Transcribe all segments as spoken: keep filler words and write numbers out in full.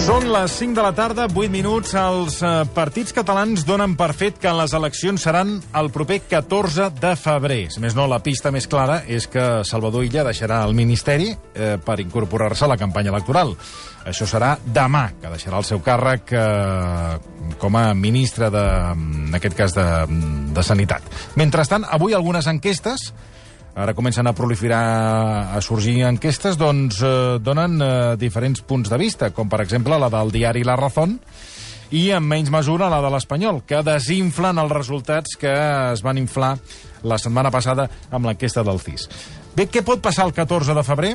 Són les cinc de la tarda, vuit minuts. Els eh, partits catalans donen per fet que les eleccions seran el proper catorze de febrer. Si més no, la pista més clara és que Salvador Illa deixarà el Ministeri eh, per incorporar-se a la campanya electoral. Això serà demà, que deixarà el seu càrrec eh, com a ministre de, en aquest cas, de, de Sanitat. Mentrestant, avui algunes enquestes... Ara comencen a proliferar, a sorgir enquestes, doncs eh, donen eh, diferents punts de vista, com per exemple la del diari La Razón i en menys mesura la de l'Espanyol, que desinflen els resultats que es van inflar la setmana passada amb l'enquesta del C I S. Bé, què pot passar el catorze de febrer?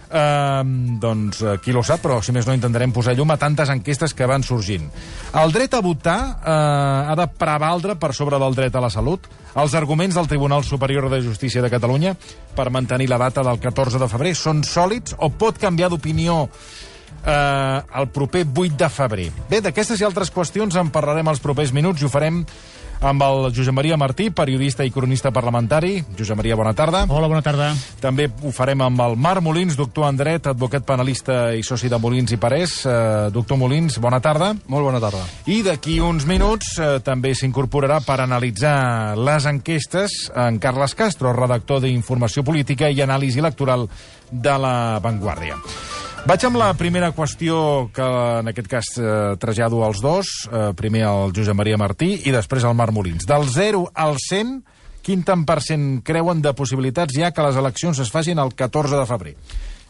Uh, doncs uh, qui lo sap, però si més no intentarem posar llum a tantes enquestes que van sorgint. El dret a votar uh, ha de prevaldre per sobre del dret a la salut. Els arguments del Tribunal Superior de Justícia de Catalunya per mantenir la data del catorze de febrer són sòlids o pot canviar d'opinió uh, el proper vuit de febrer? Bé, d'aquestes i altres qüestions en parlarem els propers minuts i ho farem amb el Josep Maria Martí, periodista i cronista parlamentari. Josep Maria, bona tarda. Hola, bona tarda. També ho farem amb el Marc Molins, doctor en dret, advocat penalista i soci de Molins i Parés. Uh, doctor Molins, bona tarda. Molt bona tarda. I d'aquí uns minuts uh, també s'incorporarà per analitzar les enquestes en Carles Castro, redactor d'Informació Política i Anàlisi Electoral de La Vanguardia. Vaig amb la primera qüestió que en aquest cas eh, trasllado als dos, eh, primer al Josep Maria Martí i després al Marc Molins. Del zero al cent, quin tant per cent creuen de possibilitats hi ha que les eleccions es facin el catorze de febrer?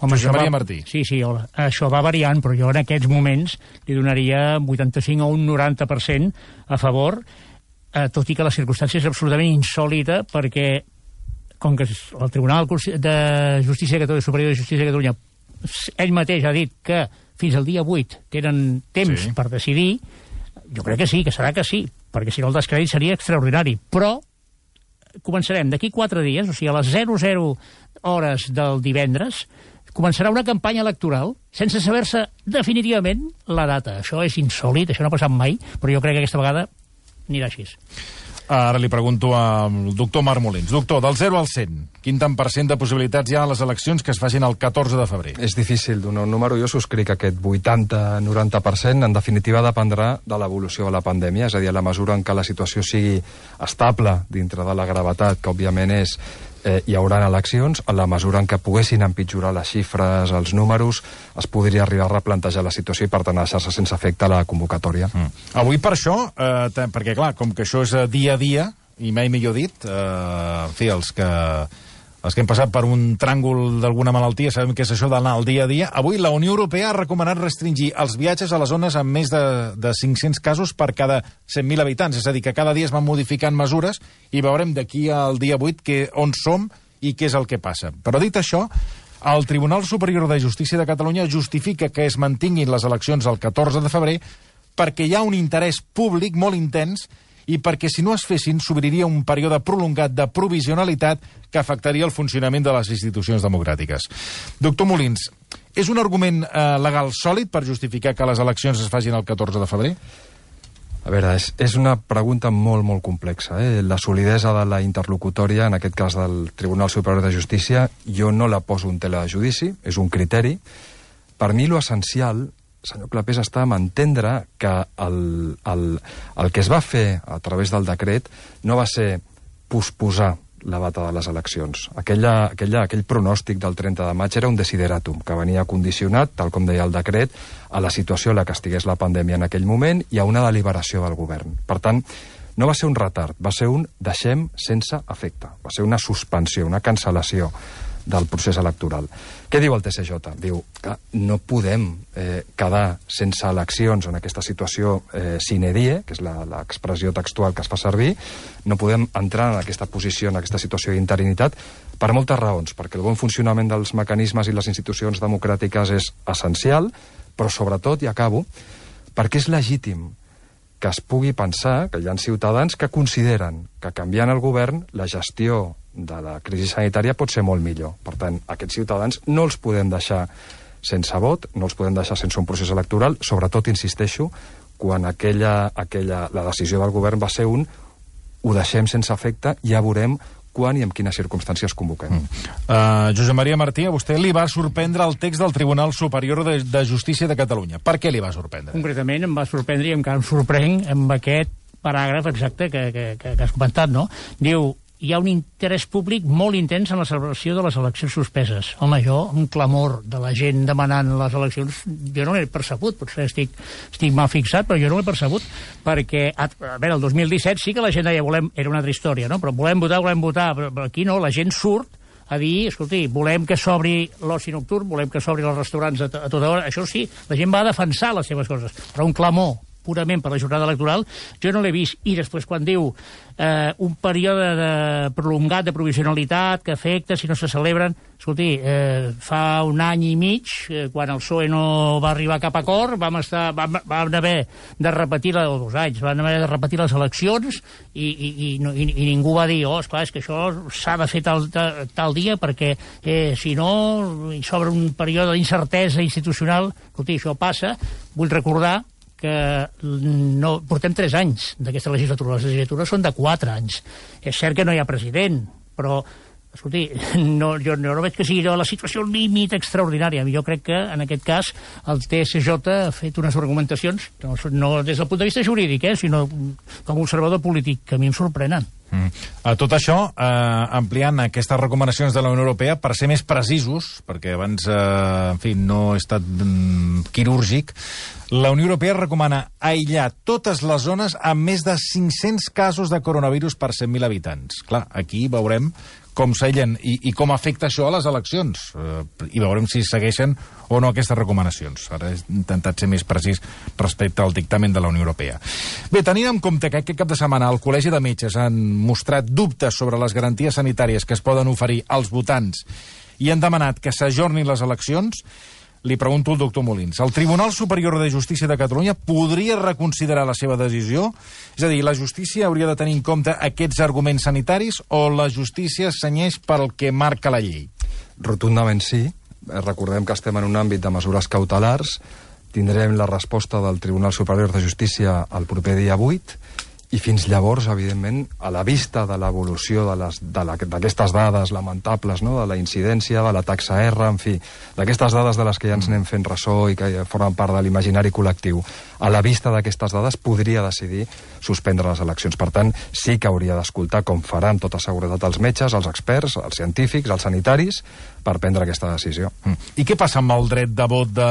Home, Josep Maria va... Martí. Sí, sí, hola. Això va variant, però jo en aquests moments li donaria vuitanta-cinc o un noranta per cent a favor, eh, tot i que la circumstància és absolutament insòlita, perquè com que el Tribunal de Justícia de Catalunya, Superior de Justícia de Catalunya, ell mateix ha dit que fins al dia vuit tenen temps sí. per decidir, jo crec que sí, que serà que sí, perquè si no el descrèdit seria extraordinari. Però començarem d'aquí quatre dies, o sigui, a les zero zero hores del divendres, començarà una campanya electoral sense saber-se definitivament la data. Això és insòlit, això no ha passat mai, però jo crec que aquesta vegada anirà així. Ara li pregunto al doctor Marc Molins. Doctor, del zero al cent, quin tant per cent de possibilitats hi ha a les eleccions que es facin el catorze de febrer? És difícil donar un número. Jo subscric aquest vuitanta noranta per cent. En definitiva, dependrà de l'evolució de la pandèmia, és a dir, a la mesura en què la situació sigui estable dintre de la gravetat, que òbviament és eh, hi haurà eleccions, a la mesura en què poguessin empitjorar les xifres, els números, es podria arribar a replantejar la situació i, per tant, deixar-se sense efecte la convocatòria. Mm. Avui, per això, eh, perquè, clar, com que això és dia a dia, i mai millor dit, eh, en fi, els que, els que hem passat per un tràngol d'alguna malaltia sabem què és això d'anar al dia a dia. Avui la Unió Europea ha recomanat restringir els viatges a les zones amb més de, de cinc-cents casos per cada cent mil habitants, és a dir, que cada dia es van modificant mesures i veurem d'aquí al dia vuit que, on som i què és el que passa. Però dit això, el Tribunal Superior de Justícia de Catalunya justifica que es mantinguin les eleccions el catorze de febrer perquè hi ha un interès públic molt intens i perquè si no es fessin s'obriria un període prolongat de provisionalitat que afectaria el funcionament de les institucions democràtiques. Doctor Molins, és un argument eh, legal sòlid per justificar que les eleccions es facin el catorze de febrer? A veure, és, és una pregunta molt, molt complexa. Eh? La solidesa de la interlocutòria, en aquest cas del Tribunal Superior de Justícia, jo no la poso en tela de judici, és un criteri. Per mi, lo essencial, senyor Clapés, està a entendre que el, el, el que es va fer a través del decret no va ser posposar la data de les eleccions. Aquella, aquella, aquell pronòstic del trenta de maig era un desideratum que venia condicionat, tal com deia el decret, a la situació en la que estigués la pandèmia en aquell moment i a una deliberació del govern. Per tant, no va ser un retard, va ser un deixem sense efecte, va ser una suspensió, una cancel·lació del procés electoral. Què diu el T C J? Diu que no podem eh, quedar sense eleccions en aquesta situació eh, sine die, que és l'expressió textual que es fa servir, no podem entrar en aquesta posició, en aquesta situació d'interinitat, per moltes raons, perquè el bon funcionament dels mecanismes i les institucions democràtiques és essencial, però sobretot, i acabo, perquè és legítim que es pugui pensar que hi ha ciutadans que consideren que canviant el govern la gestió de la crisi sanitària pot ser molt millor. Per tant, aquests ciutadans no els podem deixar sense vot, no els podem deixar sense un procés electoral, sobretot, insisteixo, quan aquella, aquella, la decisió del govern va ser un ho deixem sense efecte, ja veurem quan i en quines circumstàncies convoquem. Mm. Uh, Josep Maria Martí, a vostè li va sorprendre el text del Tribunal Superior de, de Justícia de Catalunya. Per què li va sorprendre? Concretament em va sorprendre i encara em sorprenc amb aquest paràgraf exacte que, que, que, que has comentat, no? Diu, hi ha un interès públic molt intens en la celebració de les eleccions suspeses. Home, jo, un clamor de la gent demanant les eleccions, jo no l'he percebut, potser estic, estic mal fixat, però jo no l'he percebut, perquè, a, a veure, el dos mil disset sí que la gent deia, volem, era una altra història, no? Però volem votar, volem votar, però, però aquí no, la gent surt a dir, escolti, volem que s'obri l'oci nocturn, volem que s'obri els restaurants a, a tota hora, això sí, la gent va a defensar les seves coses, però un clamor purament per la jornada electoral, jo no l'he vist. I després quan diu eh, un període de prolongat de provisionalitat que afecta si no se celebren, escolti, eh, fa un any i mig, eh, quan el P S O E no va arribar a cap acord, vam, estar, vam, vam haver de repetir, la, o dos anys, vam haver de repetir les eleccions i, i, i, i, i ningú va dir, oh, esclar, és que això s'ha de fer tal, tal, tal dia perquè eh, si no hi s'obre un període d'incertesa institucional. Escolti, això passa. Vull recordar que no, portem tres anys d'aquesta legislatura. Les legislatures són de quatre anys. És cert que no hi ha president, però, escolti, no, jo, jo no veig que sigui la situació límit extraordinària. Jo crec que, en aquest cas, el T S J ha fet unes argumentacions, no, no des del punt de vista jurídic, eh, sinó com a observador polític, que a mi em sorprenen. Mm. A tot això, eh, ampliant aquestes recomanacions de la Unió Europea, per ser més precisos, perquè abans, eh, en fi, no he estat mm, quirúrgic, la Unió Europea recomana aïllar totes les zones amb més de cinc-cents casos de coronavirus per cent mil habitants. Clar, aquí veurem com s'aïllen i, i com afecta això a les eleccions. Eh, I veurem si segueixen o no aquestes recomanacions. Ara he intentat ser més precís respecte al dictamen de la Unió Europea. Bé, tenint en compte que aquest cap de setmana el Col·legi de Metges han mostrat dubtes sobre les garanties sanitàries que es poden oferir als votants i han demanat que s'ajornin les eleccions, li pregunto al doctor Molins. El Tribunal Superior de Justícia de Catalunya podria reconsiderar la seva decisió? És a dir, la justícia hauria de tenir en compte aquests arguments sanitaris o la justícia senyeix pel que marca la llei? Rotundament sí. Recordem que estem en un àmbit de mesures cautelars. Tindrem la resposta del Tribunal Superior de Justícia el proper dia vuit i fins llavors, evidentment, a la vista de l'evolució d'aquestes dades lamentables, no? De la incidència, de la taxa R, en fi, d'aquestes dades de les que ja ens anem fent ressò i que formen part de l'imaginari col·lectiu, a la vista d'aquestes dades podria decidir suspendre les eleccions. Per tant, sí que hauria d'escoltar, com farà amb tota seguretat els metges, els experts, els científics, els sanitaris, per prendre aquesta decisió. Mm. I què passa amb el dret de vot de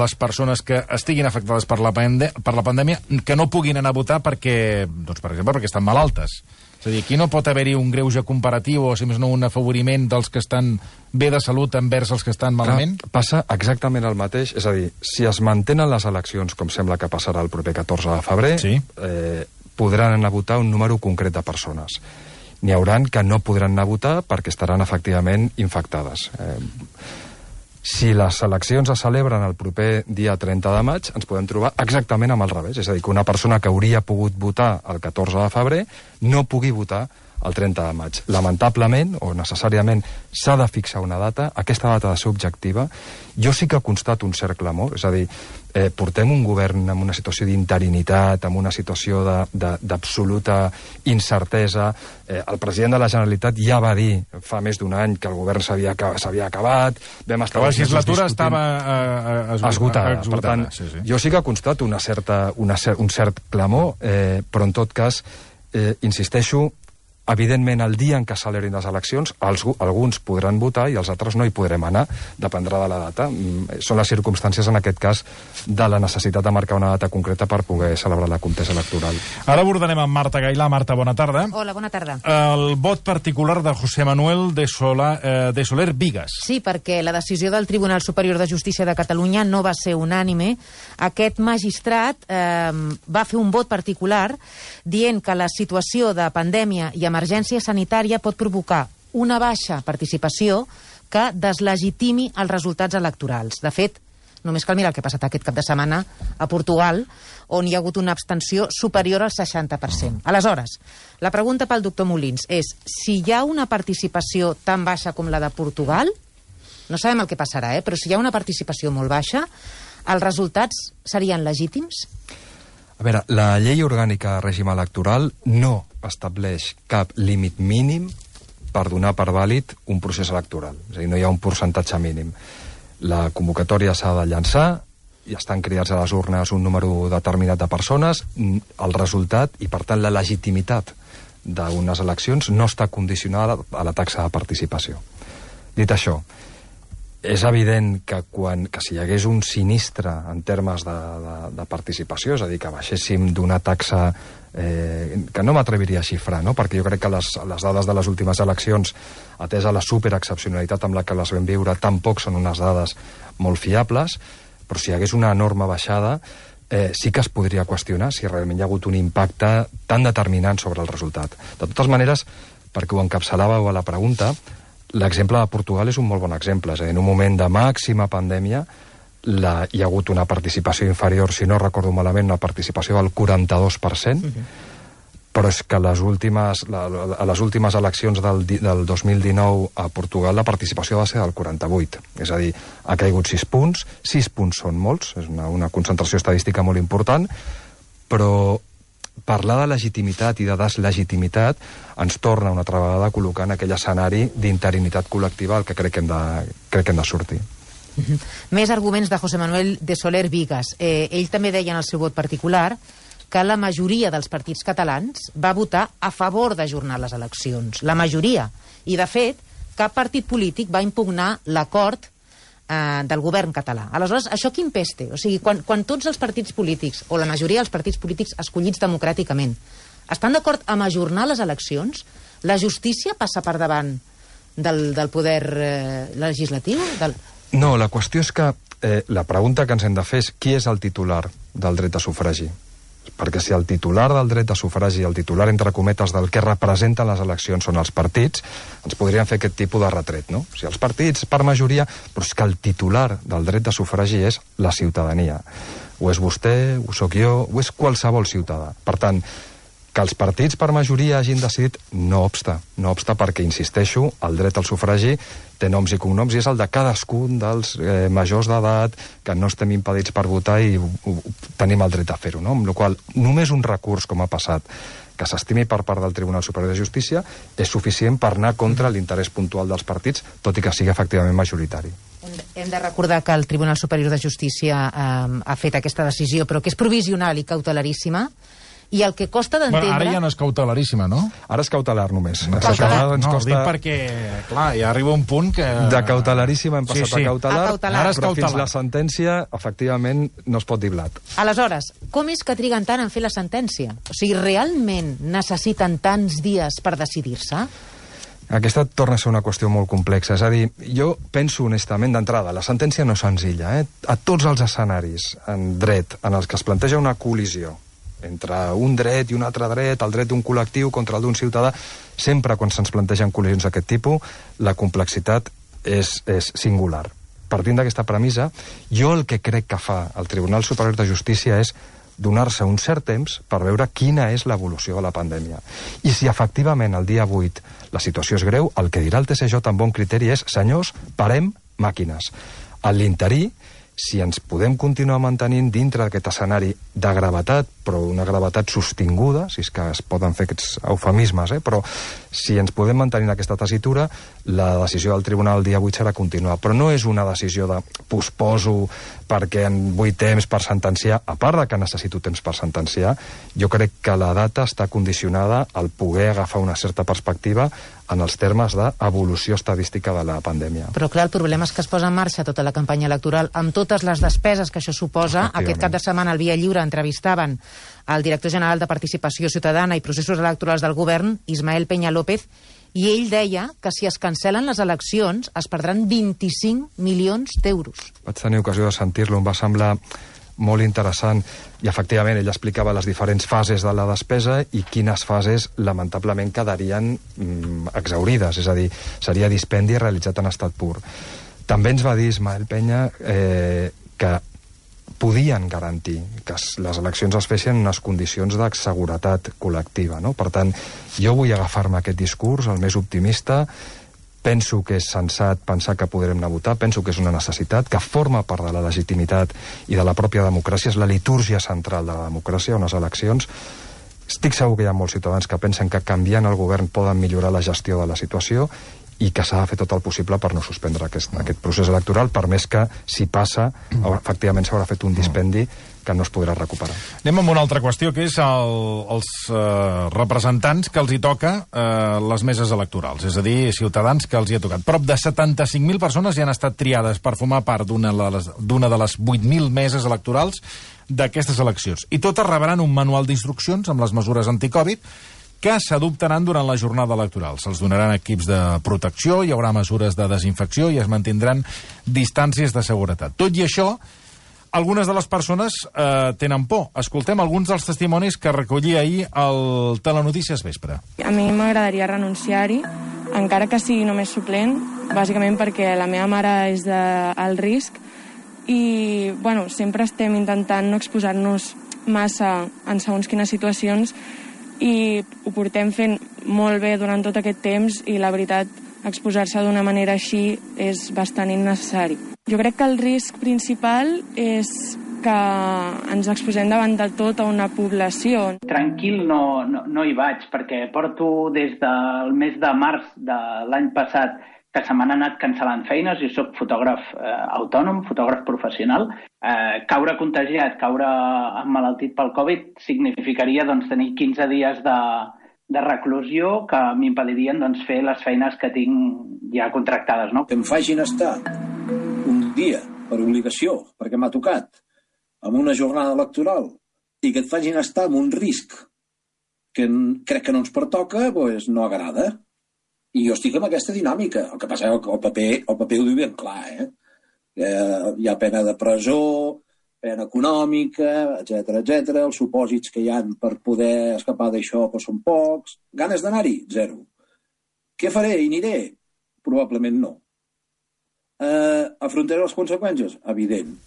les persones que estiguin afectades per la, pande per la pandèmia, que no puguin anar a votar perquè, doncs, per exemple, perquè estan malaltes? És a dir, aquí no pot haver-hi un greuge comparatiu o, si més no, un afavoriment dels que estan bé de salut envers els que estan malament? Clar, passa exactament el mateix. És a dir, si es mantenen les eleccions, com sembla que passarà el proper catorze de febrer, sí. eh, podran anar a votar un número concret de persones. N'hi hauran que no podran anar a votar perquè estaran efectivament infectades. Eh, si les eleccions es celebren el proper dia trenta de maig, ens podem trobar exactament amb el revés. És a dir, que una persona que hauria pogut votar el catorze de febrer no pugui votar el trenta de maig. Lamentablement, o necessàriament, s'ha de fixar una data. Aquesta data ha de ser objectiva. Jo sí que constato un cert clamor, és a dir, eh, portem un govern en una situació d'interinitat, en una situació d'absoluta incertesa. Eh, el president de la Generalitat ja va dir fa més d'un any que el govern s'havia acabat. Vam estar la legislatura estava uh, esgotada. esgotada. Per tant, sí, sí. Jo sí que constato una certa, una cer un cert clamor, eh, però en tot cas, eh, insisteixo, evidentment, el dia en què celebrin les eleccions, els, alguns podran votar i els altres no hi podrem anar, dependrà de la data. Són les circumstàncies, en aquest cas, de la necessitat de marcar una data concreta per poder celebrar la contesa electoral. Ara abordarem amb Marta Gailà. Marta, bona tarda. Hola, bona tarda. El vot particular de José Manuel de, Sola, eh, de Soler Vigas. Sí, perquè la decisió del Tribunal Superior de Justícia de Catalunya no va ser unànime. Aquest magistrat eh, va fer un vot particular dient que la situació de pandèmia i emergència sanitària pot provocar una baixa participació que deslegitimi els resultats electorals. De fet, només cal mirar el que ha passat aquest cap de setmana a Portugal, on hi ha hagut una abstenció superior al seixanta per cent. Aleshores, la pregunta pel doctor Molins és si hi ha una participació tan baixa com la de Portugal, no sabem el que passarà, eh? Però si hi ha una participació molt baixa, els resultats serien legítims? A veure, la llei orgànica de règim electoral no estableix cap límit mínim per donar per vàlid un procés electoral. És a dir, no hi ha un percentatge mínim. La convocatòria s'ha de llançar, i estan cridats a les urnes un número determinat de persones, el resultat i, per tant, la legitimitat d'unes eleccions no està condicionada a la taxa de participació. Dit això, és evident que, quan, que si hi hagués un sinistre en termes de, de, de participació, és a dir, que baixéssim d'una taxa eh, que no m'atreviria a xifrar, no? Perquè jo crec que les, les dades de les últimes eleccions, atesa la superexcepcionalitat amb la que les vam viure, tampoc són unes dades molt fiables, però si hi hagués una enorme baixada, eh, sí que es podria qüestionar si realment hi ha hagut un impacte tan determinant sobre el resultat. De totes maneres, perquè ho encapçalàveu a la pregunta, l'exemple de Portugal és un molt bon exemple. És a dir, en un moment de màxima pandèmia la, hi ha hagut una participació inferior, si no recordo malament, una participació del quaranta-dos per cent, uh-huh. Però és que les últimes, la, a les últimes eleccions del, del dos mil dinou a Portugal la participació va ser del quaranta-vuit. És a dir, ha caigut sis punts, sis punts són molts, és una, una concentració estadística molt important, però parlar de legitimitat i de deslegitimitat ens torna una altra vegada a col·locar en aquell escenari d'interinitat col·lectiva al que crec que hem de, crec que hem de sortir. Uh-huh. Més arguments de José Manuel de Soler Vigas. Eh, ell també deia en el seu vot particular que la majoria dels partits catalans va votar a favor d'ajornar les eleccions. La majoria. I, de fet, cap partit polític va impugnar l'acord eh, del govern català. Aleshores, això quin pes té? O sigui, quan, quan tots els partits polítics, o la majoria dels partits polítics escollits democràticament, estan d'acord amb ajornar les eleccions, la justícia passa per davant del, del poder eh, legislatiu? Del... No, la qüestió és que eh, la pregunta que ens hem de fer és qui és el titular del dret a sufragi. Perquè si el titular del dret a sufragi, el titular, entre cometes, del que representen les eleccions són els partits, ens podrien fer aquest tipus de retret, no? O sigui, els partits, per majoria, però és que el titular del dret a sufragi és la ciutadania. O és vostè, ho sóc jo, o és qualsevol ciutadà. Per tant, que els partits per majoria hagin decidit no obsta, no obsta perquè, insisteixo, el dret al sufragi té noms i cognoms i és el de cadascun dels eh, majors d'edat que no estem impedits per votar i ho, ho, tenim el dret a fer-ho, no? Amb la qual cosa, només un recurs, com ha passat, que s'estimi per part del Tribunal Superior de Justícia és suficient per anar contra l'interès puntual dels partits, tot i que sigui efectivament majoritari. Hem de recordar que el Tribunal Superior de Justícia eh, ha fet aquesta decisió, però que és provisional i cautelaríssima, i el que costa d'entendre... Bueno, ara ja no és cautelaríssima, no? Ara és cautelar només. No, cautelar, no, costa... ho dic perquè, clar, ja arriba un punt que... De cautelaríssima hem passat sí, sí. a cautelar, a cautelar. Ara és però cautelar. Fins la sentència, efectivament, no es pot dir blat. Aleshores, com és que triguen tant en fer la sentència? O sigui, realment necessiten tants dies per decidir-se? Aquesta torna a ser una qüestió molt complexa. És a dir, jo penso honestament d'entrada, la sentència no és senzilla. Eh? A tots els escenaris en dret en els que es planteja una col·lisió entre un dret i un altre dret, el dret d'un col·lectiu contra el d'un ciutadà, sempre quan se'ns plantegen col·lisions d'aquest tipus, la complexitat és, és singular. Partint d'aquesta premissa, jo el que crec que fa el Tribunal Superior de Justícia és donar-se un cert temps per veure quina és l'evolució de la pandèmia. I si efectivament el dia vuit la situació és greu, el que dirà el T S J amb bon criteri és: senyors, parem màquines. A l'interí, si ens podem continuar mantenint dintre d'aquest escenari de gravetat, però una gravetat sostinguda, si és que es poden fer aquests eufemismes, eh? Però si ens podem mantenir en aquesta tessitura, la decisió del tribunal el dia vuit serà continuar. Però no és una decisió de posposo perquè en vull temps per sentenciar, a part de que necessito temps per sentenciar, jo crec que la data està condicionada al poder agafar una certa perspectiva en els termes d'evolució estadística de la pandèmia. Però clar, el problema és que es posa en marxa tota la campanya electoral amb totes les despeses que això suposa. Aquest cap de setmana al Via Lliure entrevistaven el director general de Participació Ciutadana i Processos Electorals del Govern, Ismael Peña López, i ell deia que si es cancel·len les eleccions es perdran vint-i-cinc milions d'euros. Vaig tenir ocasió de sentir-lo, em va semblar molt interessant, i efectivament ell explicava les diferents fases de la despesa i quines fases lamentablement quedarien mm, exaurides, és a dir, seria dispendi realitzat en estat pur. També ens va dir Ismael Peña eh, que podien garantir que les eleccions es fessin en unes condicions de seguretat col·lectiva, no? Per tant, jo vull agafar-me aquest discurs, el més optimista. Penso que és sensat pensar que podrem anar a votar, penso que és una necessitat, que forma part de la legitimitat i de la pròpia democràcia, és la litúrgia central de la democràcia, unes eleccions, Estic segur que hi ha molts ciutadans que pensen que canviant el govern poden millorar la gestió de la situació i que s'ha de fer tot el possible per no suspendre aquest, mm. aquest procés electoral, per més que, si passa, mm. efectivament s'haurà fet un dispendi que no es podrà recuperar. Anem amb una altra qüestió, que és el, els eh, representants que els hi toca eh, les meses electorals, és a dir, ciutadans que els hi ha tocat. Prop de setanta-cinc mil persones ja han estat triades per formar part d'una de les vuit mil meses electorals d'aquestes eleccions. I totes rebran un manual d'instruccions amb les mesures anticovid que s'adoptaran durant la jornada electoral. Se'ls donaran equips de protecció, hi haurà mesures de desinfecció i es mantindran distàncies de seguretat. Tot i això, algunes de les persones eh, tenen por. Escoltem alguns dels testimonis que recollia ahir el Telenotícies Vespre. A mi m'agradaria renunciar-hi, encara que sigui només suplent, bàsicament perquè la meva mare és d'alt risc i bueno, sempre estem intentant no exposar-nos massa en segons quines situacions i ho portem fent molt bé durant tot aquest temps i la veritat, exposar-se d'una manera així és bastant innecessari. Jo crec que el risc principal és que ens exposem davant de tota una població. Tranquil no, no, no hi vaig, perquè porto des del mes de març de l'any passat que se m'han anat cancel·lant feines, jo soc fotògraf eh, autònom, fotògraf professional. Eh, caure contagiat, caure emmalaltit pel Covid significaria doncs, tenir quinze dies de, de reclusió que m'impedirien doncs, fer les feines que tinc ja contractades. No? Que em facin estar un dia per obligació, perquè m'ha tocat, amb una jornada electoral, i que et facin estar amb un risc que crec que no ens pertoca, doncs no agrada. I jo estic amb aquesta dinàmica. El que passa és que el paper, el paper ho diu ben clar, eh? eh? Hi ha pena de presó, pena econòmica, etcètera, etcètera. Els supòsits que hi ha per poder escapar d'això però són pocs. Ganes d'anar-hi? Zero. Què faré? I aniré? Probablement no. Eh, afrontaré les conseqüències? Evident.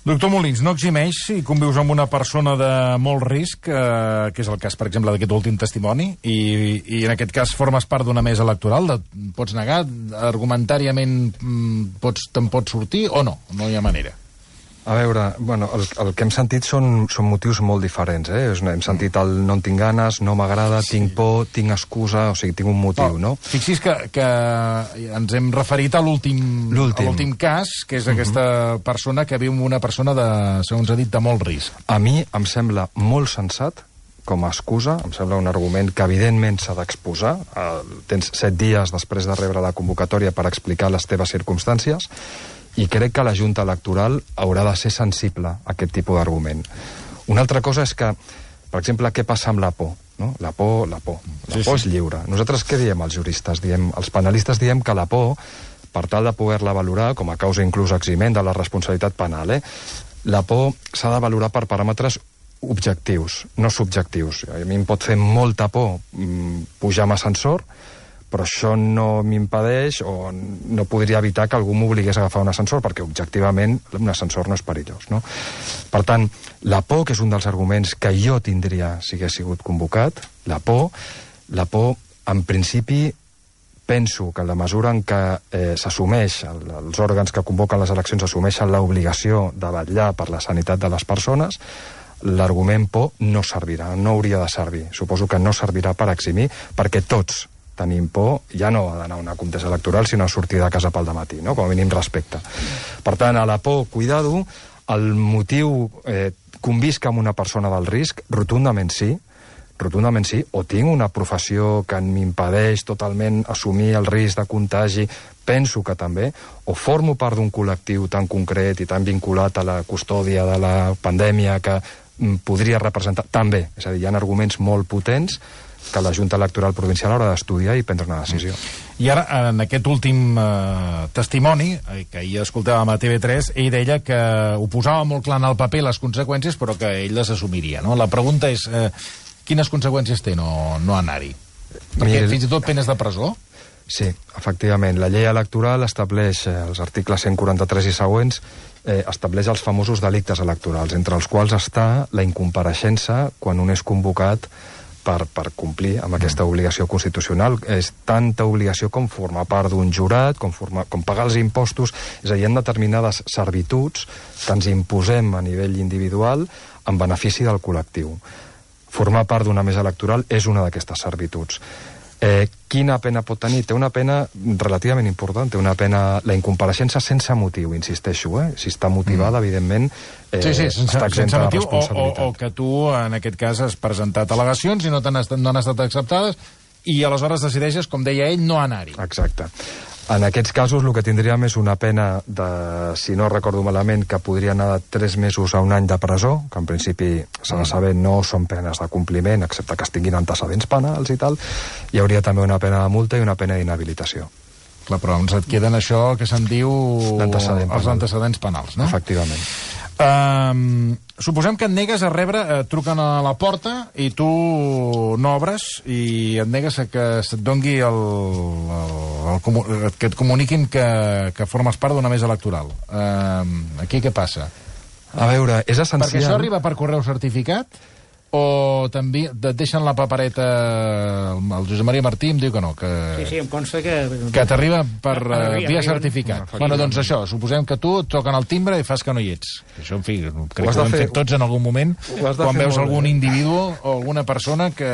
Doctor Molins, no eximeix si convius amb una persona de molt risc, eh, que és el cas, per exemple, d'aquest últim testimoni, i, i en aquest cas formes part d'una mesa electoral, de, pots negar, argumentàriament pots, te'n pots sortir o no? No hi ha manera. A veure, bueno, el, el que hem sentit són, són motius molt diferents, eh? Hem sentit el no en tinc ganes, no m'agrada, sí. tinc por, tinc excusa, o sigui, tinc un motiu, no? no? Fixi's que, que ens hem referit a l'últim cas, que és aquesta uh-huh. persona que viu amb una persona de, segons ha dit, de molt risc. A mi em sembla molt sensat com a excusa, em sembla un argument que evidentment s'ha d'exposar. Uh, tens set dies després de rebre la convocatòria per explicar les teves circumstàncies, i crec que la Junta Electoral haurà de ser sensible a aquest tipus d'argument. Una altra cosa és que, per exemple, què passa amb la por? No? La por, la por. La sí, por sí. és lliure. Nosaltres què diem els juristes? Diem, els penalistes diem que la por, per tal de poder-la valorar com a causa inclús eximent de la responsabilitat penal, eh? la por s'ha de valorar per paràmetres objectius, no subjectius. A mi em pot fer molta por pujar amb ascensor, però això no m'impedeix o no podria evitar que algú m'obligués a agafar un ascensor, perquè objectivament un ascensor no és perillós. No? Per tant, la por, que és un dels arguments que jo tindria si hagués sigut convocat, la por, la por, en principi, penso que en la mesura en què eh, s'assumeix, el, els òrgans que convoquen les eleccions assumeixen l'obligació de vetllar per la sanitat de les persones, l'argument por no servirà, no hauria de servir. Suposo que no servirà per eximir, perquè tots tenim por, ja no ha d'anar a una contesa electoral, sinó a sortir de casa pel dematí, no? Com a mínim respecte. Per tant, a la por, cuidado, el motiu, eh, convisc amb una persona del risc, rotundament sí, rotundament sí, o tinc una professió que m'impedeix totalment assumir el risc de contagi, penso que també, o formo part d'un col·lectiu tan concret i tan vinculat a la custòdia de la pandèmia que mm, podria representar, també, és a dir, hi ha arguments molt potents que la Junta Electoral Provincial haurà d'estudiar i prendre una decisió. I ara, en aquest últim eh, testimoni, eh, que ahir escoltàvem a T V tres, ell deia que ho posava molt clar en el paper les conseqüències, però que ell les assumiria. No? La pregunta és, eh, quines conseqüències té no, no anar-hi? Perquè Mira, fins i tot penes de presó? Sí, efectivament. La llei electoral estableix, eh, els articles cent quaranta-tres i següents, eh, estableix els famosos delictes electorals, entre els quals està la incompareixença quan un és convocat Per, per complir amb aquesta obligació constitucional. És tanta obligació com formar part d'un jurat, com, formar, com pagar els impostos, és a dir, hi ha determinades servituds que ens imposem a nivell individual en benefici del col·lectiu. formar part d'una mesa electoral és una d'aquestes servituds. Eh, quina pena pot tenir? Té una pena relativament important, té una pena, la incompareixença sense motiu, insisteixo, eh? Si està motivada, mm. evidentment, eh, sí, sí, sense, està exempta de responsabilitat. O, o, o que tu, en aquest cas, has presentat al·legacions i no, estat, no han estat acceptades i aleshores decideixes, com deia ell, no anar-hi. Exacte. En aquests casos el que tindríem és una pena de, si no recordo malament, que podria anar de tres mesos a un any de presó, que en principi s'ha de saber no són penes de compliment, excepte que es tinguin antecedents penals i tal. Hi hauria també una pena de multa i una pena d'inhabilitació. Clar, però ens et queden això que se'n diu L'antecedent els penal. antecedents penals, no? Efectivament. Um, suposem que et negues a rebre, eh, truquen a la porta i tu no obres i et negues a que se't dongui el, el, el, que et comuniquin que, que formes part d'una mesa electoral. Um, aquí què passa? A veure, és essencial... Perquè això arriba per correu certificat o també et deixen la papereta, el Josep Maria Martí em diu que no, que, sí, sí, em consta que... que t'arriba per uh, via arriben... certificat. No, bueno, doncs això, suposem que tu et toquen el timbre i fas que no hi ets. Això, en fi, crec que ho hem fer... fet tots en algun moment, quan veus algun bé. individu o alguna persona que,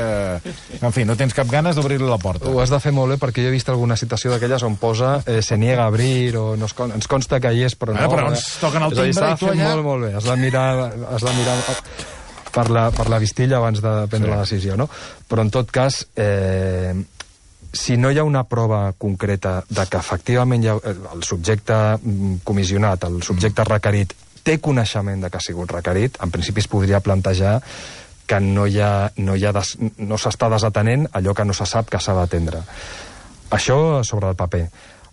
en fi, no tens cap ganes d'obrir-li la porta. Ho has de fer molt bé, perquè jo he vist alguna situació d'aquelles on posa eh, se niega a abrir o no es, con ens consta que hi és, però no. Bueno, però ens toquen el timbre i tu allà... Molt, molt bé, has de mirar... Has de mirar... Per la, per la vistilla abans de prendre sí. la decisió, no? Però en tot cas, eh, si no hi ha una prova concreta de que efectivament hi ha, el subjecte comissionat, el subjecte requerit, té coneixement de que ha sigut requerit, en principi es podria plantejar que no hi ha, no hi ha des, no s'està desatenent allò que no se sap que s'ha d'atendre. Això sobre el paper.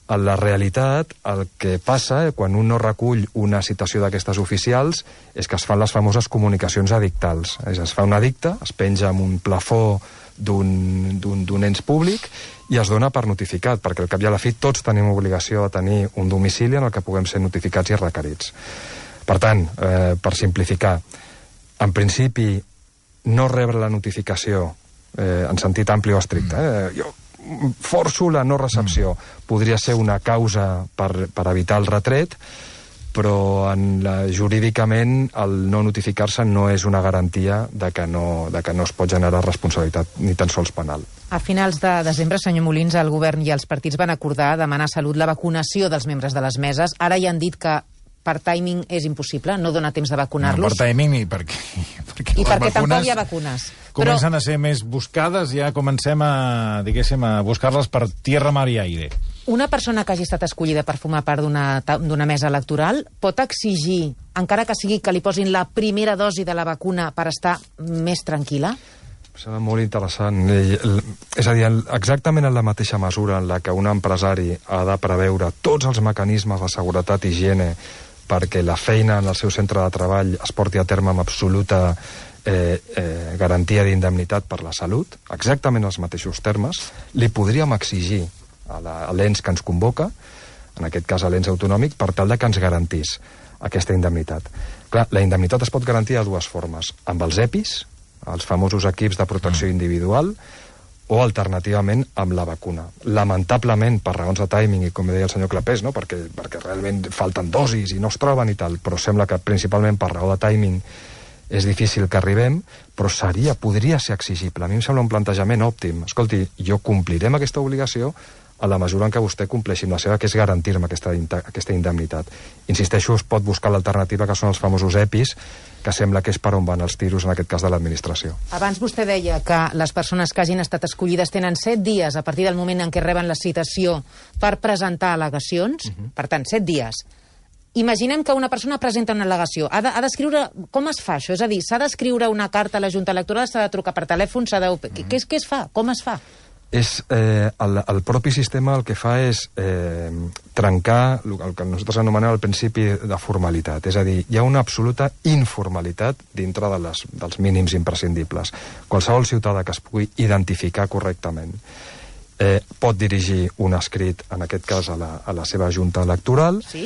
A la realitat, el que passa eh, quan un no recull una citació d'aquestes oficials és que es fan les famoses comunicacions edictals. És, es fa un edicte, es penja amb un plafó d'un ens públic i es dona per notificat, perquè al cap i a la fi tots tenim obligació de tenir un domicili en el que puguem ser notificats i requerits. Per tant, eh, per simplificar, en principi no rebre la notificació eh, en sentit ampli o estricte. Eh, jo forço la no recepció. Mm. Podria ser una causa per, per evitar el retret, però en la, jurídicament el no notificar-se no és una garantia de que no, de que no es pot generar responsabilitat ni tan sols penal. A finals de desembre, senyor Molins, el govern i els partits van acordar demanar a Salut la vacunació dels membres de les meses. Ara ja han dit que per timing és impossible, no dona temps de vacunar-los. No, per timing i perquè... perquè I perquè vacunes tampoc hi ha vacunes. Comencen Però... a ser més buscades, ja comencem a, diguéssim, a buscar-les per tierra, mar i aire. Una persona que hagi estat escollida per formar part d'una mesa electoral pot exigir, encara que sigui que li posin la primera dosi de la vacuna per estar més tranquil·la? Serà molt interessant. És a dir, exactament en la mateixa mesura en la que un empresari ha de preveure tots els mecanismes de seguretat i higiene perquè la feina en el seu centre de treball es porti a terme amb absoluta eh, eh, garantia d'indemnitat per la salut, exactament els mateixos termes, li podríem exigir a l'ens que ens convoca, en aquest cas a l'ens autonòmic, per tal de que ens garantís aquesta indemnitat. Clar, la indemnitat es pot garantir de dues formes, amb els EPIs, els famosos equips de protecció individual, o alternativament amb la vacuna. Lamentablement, per raons de timing, i com deia el senyor Clapés, no? perquè, perquè realment falten dosis i no es troben i tal, però sembla que principalment per raó de timing és difícil que arribem, però seria, podria ser exigible. A mi em sembla un plantejament òptim. Escolti, jo compliré amb aquesta obligació a la mesura en què vostè compleixi amb la seva, que és garantir-me aquesta, aquesta indemnitat. Insisteixo, es pot buscar l'alternativa, que són els famosos EPIs, que sembla que és per on van els tiros, en aquest cas de l'administració. Abans vostè deia que les persones que hagin estat escollides tenen set dies a partir del moment en què reben la citació per presentar al·legacions, uh-huh. Per tant, set dies. Imaginem que una persona presenta una al·legació. Ha d'escriure... De, com es fa això? És a dir, s'ha d'escriure una carta a la Junta Electoral, s'ha de trucar per telèfon, s'ha de... Uh-huh. Què, què es fa? Com es fa? És, eh, el, el propi sistema el que fa és eh, trencar el que nosaltres anomenem al principi de formalitat. És a dir, hi ha una absoluta informalitat dintre de les, dels mínims imprescindibles. Qualsevol ciutadà que es pugui identificar correctament eh, pot dirigir un escrit, en aquest cas a la, a la seva junta electoral, sí?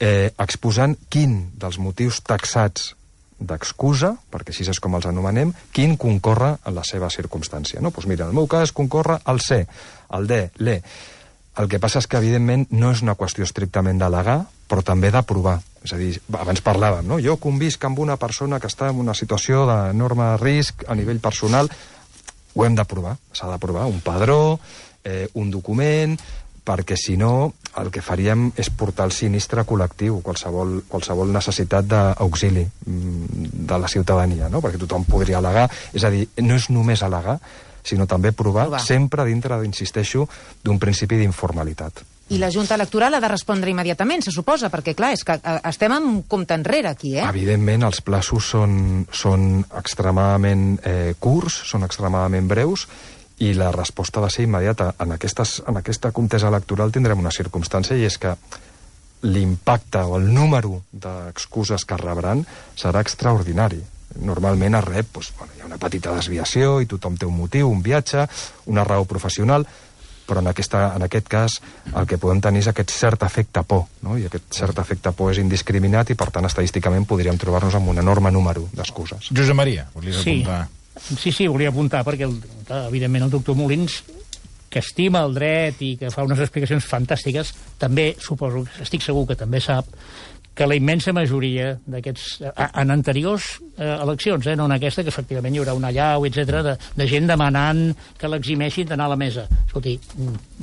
eh, exposant quin dels motius taxats d'excusa, perquè així és com els anomenem, quin concorre en la seva circumstància. No? Doncs mira, en el meu cas concorre el C, el D, l'E. El que passa és que, evidentment, no és una qüestió estrictament d'al·legar, però també d'aprovar. És a dir, abans parlàvem, no? Jo convisc amb una persona que està en una situació d'enorme risc a nivell personal. Ho hem d'aprovar, s'ha d'aprovar un padró, eh, un document, perquè si no el que faríem és portar el sinistre col·lectiu, qualsevol, qualsevol necessitat d'auxili de la ciutadania, no? Perquè tothom podria al·legar. És a dir, no és només al·legar, sinó també provar, provar. sempre dintre, insisteixo, d'un principi d'informalitat. I la Junta Electoral ha de respondre immediatament, se suposa, perquè, clar, és que estem en compte enrere aquí, eh? Evidentment, els plaços són, són extremadament eh, curts, són extremadament breus, i la resposta ha de ser immediata. En, aquestes, en aquesta contesa electoral tindrem una circumstància, i és que l'impacte o el número d'excuses que rebran serà extraordinari. Normalment es rep, doncs, bueno, hi ha una petita desviació i tothom té un motiu, un viatge, una raó professional, però en, aquesta, en aquest cas el que podem tenir és aquest cert efecte por, no? I aquest cert efecte por és indiscriminat i, per tant, estadísticament podríem trobar-nos amb un enorme número d'excuses. Josep Maria, volies sí. apuntar? Sí, sí, volia apuntar, perquè el, evidentment el doctor Molins, que estima el dret i que fa unes explicacions fantàstiques, també, suposo, estic segur que també sap que la immensa majoria d'aquests, en anteriors eh, eleccions, eh, no en aquesta, que efectivament hi haurà una allau, etcètera, de, de gent demanant que l'eximeixin d'anar a la mesa. Escolti,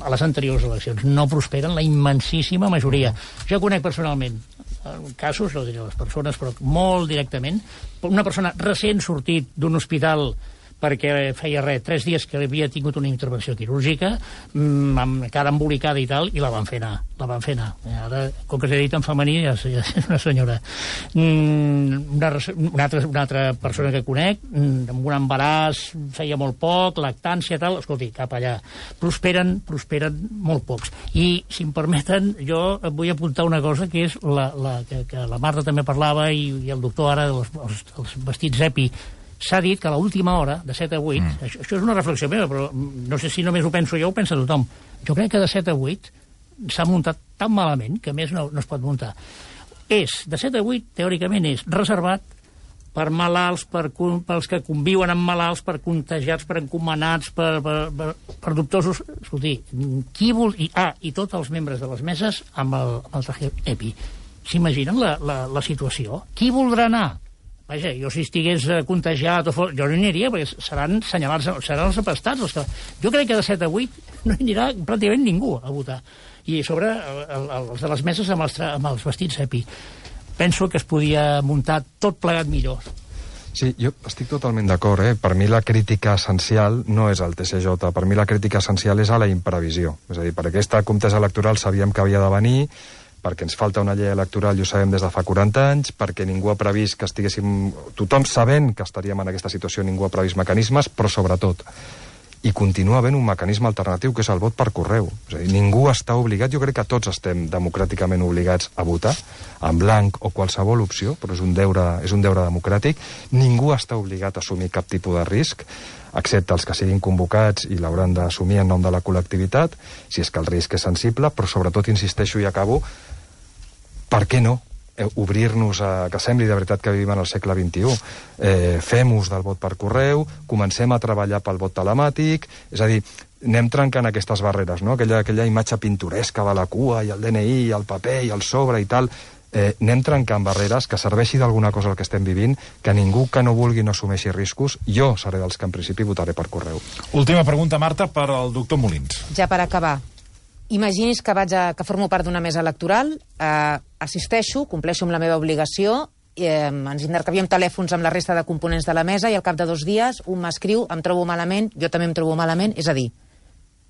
a les anteriors eleccions no prosperen la immensíssima majoria. Jo conec personalment casos, no diré les persones, però molt directament, una persona recent sortit d'un hospital perquè feia res, tres dies que havia tingut una intervenció quirúrgica, mmm, amb cara embolicada i tal, i la van fer anar, la van fer anar. Ara, com que s'ha dit en femení, ja és una senyora. Mm, una, una, altra, una altra persona que conec, mm, amb un embaràs, feia molt poc, lactància, tal, escolti, cap allà. Prosperen, prosperen molt pocs. I, si em permeten, jo vull apuntar una cosa, que és la, la, que, que la Marta també parlava, i, i el doctor ara, els, els, els vestits EPI. S'ha dit que a l'última hora, de set a vuit, mm. això, això és una reflexió meva, però no sé si només ho penso jo o ho pensa tothom. Jo crec que de set a vuit s'ha muntat tan malament que més no, no es pot muntar. És, de set a vuit, teòricament, és reservat per malalts, per, pels que conviuen amb malalts, per contagiats, per encomanats, per, per, per, per dubtosos. Escolti, qui vol... I, ah, i tots els membres de les meses amb el, amb el traje EPI. S'imaginen la, la, la situació? Qui voldrà anar? Vaja, jo si estigués contagiat o fos, jo no hi aniria, perquè seran senyalats, seran els apestats. Els que... Jo crec que de set a vuit no hi anirà pràcticament ningú a votar. I a sobre el, el, els de les meses amb els, amb els vestits EPI. Penso que es podia muntar tot plegat millor. Sí, jo estic totalment d'acord, eh? Per mi la crítica essencial no és el T C J, per mi la crítica essencial és a la imprevisió. És a dir, per aquesta contesa electoral sabíem que havia de venir, perquè ens falta una llei electoral i ho sabem des de fa quaranta anys, perquè ningú ha previst que estiguéssim... Tothom sabent que estaríem en aquesta situació, ningú ha previst mecanismes, però sobretot, i continua havent un mecanisme alternatiu, que és el vot per correu. És a dir, ningú està obligat, jo crec que tots estem democràticament obligats a votar, en blanc o qualsevol opció, però és un deure, és un deure democràtic. Ningú està obligat a assumir cap tipus de risc, excepte els que siguin convocats i l'hauran d'assumir en nom de la col·lectivitat, si és que el risc és sensible, però sobretot, insisteixo i acabo, per què no eh, obrir-nos a... que sembli de veritat que vivim en el segle vint-i-u. Eh, fem ús del vot per correu, comencem a treballar pel vot telemàtic, és a dir, anem trencant aquestes barreres, no? Aquella, aquella imatge pintoresca de la cua i el D N I, i el paper i el sobre i tal... Eh, anem trencant barreres, que serveixi d'alguna cosa el que estem vivint, que ningú que no vulgui no assumeixi riscos. Jo seré dels que en principi votaré per correu. Última pregunta, Marta, per al doctor Molins. Ja per acabar. Imagini's que vaig a, que formo part d'una mesa electoral, eh, assisteixo, compleixo amb la meva obligació, eh, ens intercanviem telèfons amb la resta de components de la mesa i al cap de dos dies un m'escriu, em trobo malament, jo també em trobo malament, és a dir,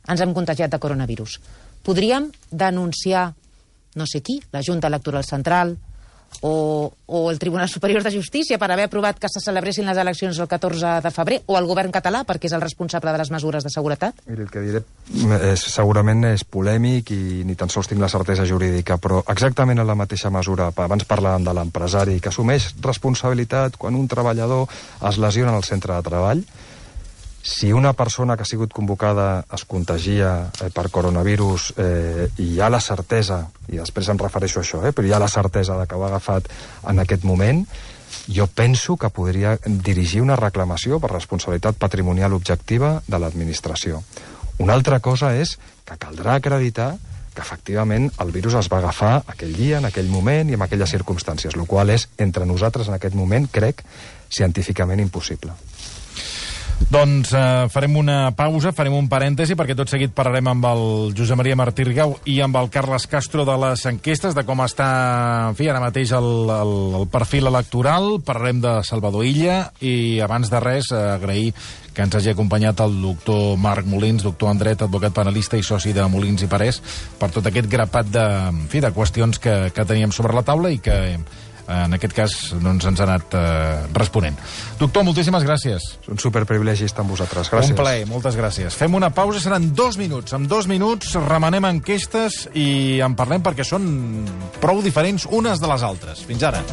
ens hem contagiat de coronavirus. Podríem denunciar no sé qui, la Junta Electoral Central o, o el Tribunal Superior de Justícia per haver aprovat que se celebressin les eleccions el catorze de febrer, o el govern català perquè és el responsable de les mesures de seguretat? Miri, el que diré és, segurament és polèmic i ni tan sols tinc la certesa jurídica, però exactament en la mateixa mesura. Abans parlàvem de l'empresari que assumeix responsabilitat quan un treballador es lesiona al centre de treball. Si una persona que ha sigut convocada es contagia eh, per coronavirus eh, i hi ha la certesa, i després em refereixo a això, eh, però hi ha la certesa de que ho ha agafat en aquest moment, jo penso que podria dirigir una reclamació per responsabilitat patrimonial objectiva de l'administració. Una altra cosa és que caldrà acreditar que efectivament el virus es va agafar aquell dia, en aquell moment i en aquelles circumstàncies, el qual és, entre nosaltres en aquest moment, crec, científicament impossible. Doncs eh, farem una pausa, farem un parèntesi, perquè tot seguit parlarem amb el Josep Maria Martí Rigau i amb el Carles Castro de les enquestes, de com està, en fi, ara mateix el, el, el perfil electoral. Parlarem de Salvador Illa i, abans de res, eh, agrair que ens hagi acompanyat el doctor Marc Molins, doctor en dret, advocat penalista i soci de Molins i Parés, per tot aquest grapat de, en fi, de qüestions que, que teníem sobre la taula i que, en aquest cas, doncs, ens ha anat eh, responent. Doctor, moltíssimes gràcies. És un superprivilegi estar amb vosaltres. Gràcies. Un plaer, moltes gràcies. Fem una pausa, seran dos minuts. En dos minuts remenem enquestes i en parlem perquè són prou diferents unes de les altres. Fins ara.